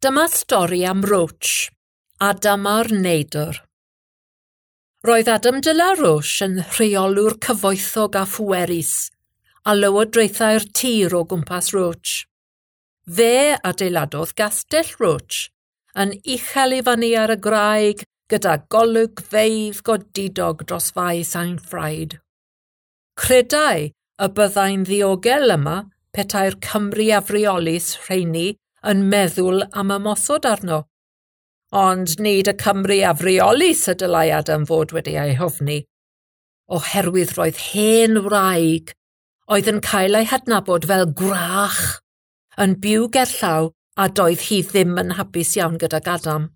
Dyma stori am Roach, Adam a'r Neidr. Roedd Adam de la Roche yn rheolwr cyfoethog a phwerus, a lywodraethau'r tir o gwmpas Roach. Fe adeiladodd gastell Roach, yn uchel i fyny ar y graig gyda golygfeydd godidog dros faes Ainffraid. Credai y byddai'n ddiogel yma petai'r Cymry afreolus rheini yn meddwl am ymosod arno. Ond nid y Cymry afreolus y dylai Adam fod wedi ei hofni, oherwydd roedd hen wraig oedd yn cael ei hadnabod fel gwrach yn byw gerllaw a doedd hi ddim yn hapus iawn gydag Adam.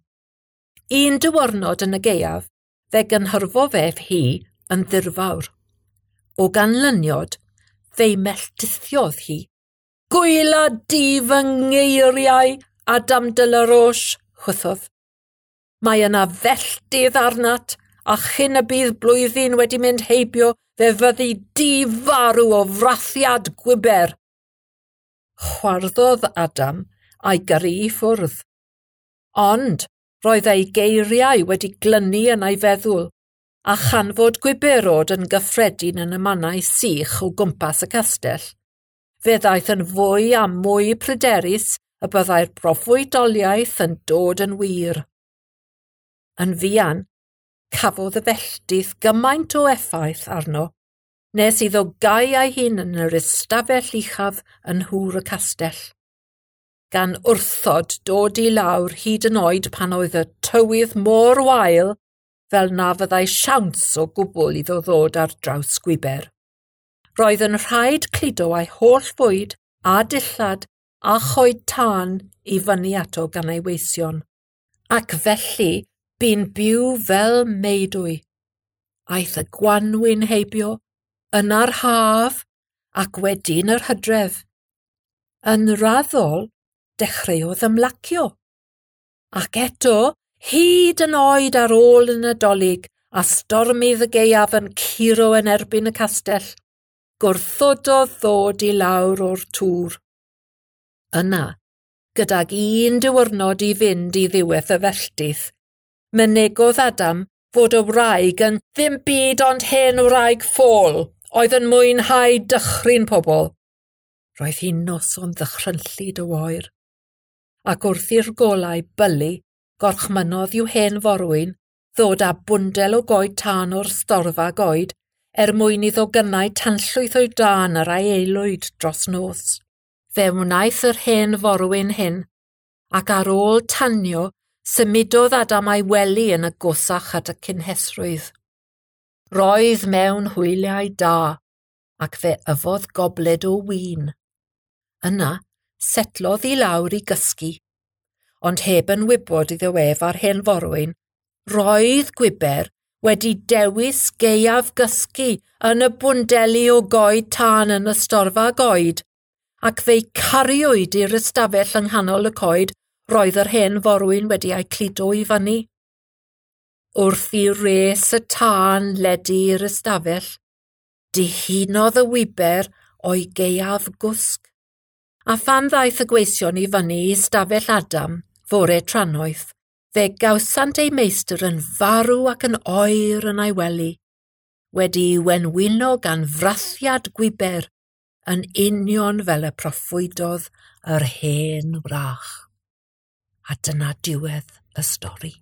Un diwrnod yn y gaeaf, fe gynhyrfodd ef hi yn ddirfawr. O ganlyniad, fe'i melltithiodd hi. Gwyla di fy ngeiriau, Adam de la Roche, chwythodd. Mae yna felltith arnat, a chyn y bydd blwyddyn wedi mynd heibio, fe fyddi di farw o frathiad gwiber. Chwarddodd Adam a'i gyrru i ffwrdd. Ond roedd ei geiriau wedi glynu yn ei feddwl, a chanfod gwiberod yn gyffredin yn y mannau sych o gwmpas y castell. Fe ddaeth yn fwy a mwy pryderus y byddai'r proffwydoliaeth yn dod yn wir. Yn fuan, cafodd y felltith gymaint o effaith arno, nes iddo gau ei hun yn yr ystafell uchaf yn nhŵr y castell. Gan wrthod dod i lawr hyd yn oed pan oedd y tywydd mor wael fel na fyddai siawns o gwbl iddo ddod ar draws gwiber. Roedd yn rhaid cludo ei holl fwyd a dillad a choed tân i fyny ato gan ei weision. Ac felly bu'n byw fel meudwy. Aeth y gwanwyn heibio, yna'r haf ac wedyn yr hydref. Yn raddol, dechreuodd ymlacio. Ac eto, hyd yn oed ar ôl y Nadolig a stormydd y gaeaf yn curo yn erbyn y castell, gwrthododd ddod i lawr o'r tŵr. Yna, gydag un diwrnod i fynd i ddiwedd y felltith, mynegodd Adam fod y wraig yn ddim byd ond hen wraig ffôl oedd yn mwynhau dychryn pobl. Roedd hi'n noson ddychrynllyd o oer, ac wrth i'r golau bylu, gorchmynnodd i'w hen forwyn ddod â bwndel o goed tân o'r storfa goed er mwyn iddo gynnau tanllwyth o'i dân ar ei aelwyd dros nos. Fe wnaeth yr hen forwyn hyn, ac ar ôl tanio, symudodd Adam a'i wely yn agosach at y cynhesrwydd. Roedd mewn hwyliau da, ac fe yfodd gobled o win. Yna, setlodd i lawr i gysgu, ond heb yn wybod iddo ef a'r hen forwyn, roedd gwiber wedi dewis gaeaf gysgu yn y bwndeli o goed tân yn y storfa goed, ac fe'i cariwyd i'r ystafell yng nghanol y coed roedd yr hen forwyn wedi ei cludo i fyny. Wrth i res y tân ledu i'r ystafell, dihunodd y wiber o'i gaeaf gwsg. A phan ddaeth y gweision i fyny i ystafell Adam, fore trannoeth, fe gawsant ei meistr yn farw ac yn oer yn ei wely, wedi'i wenwyno gan frathiad gwiber, yn union fel y proffwydodd yr hen wrach. A dyna diwedd y stori.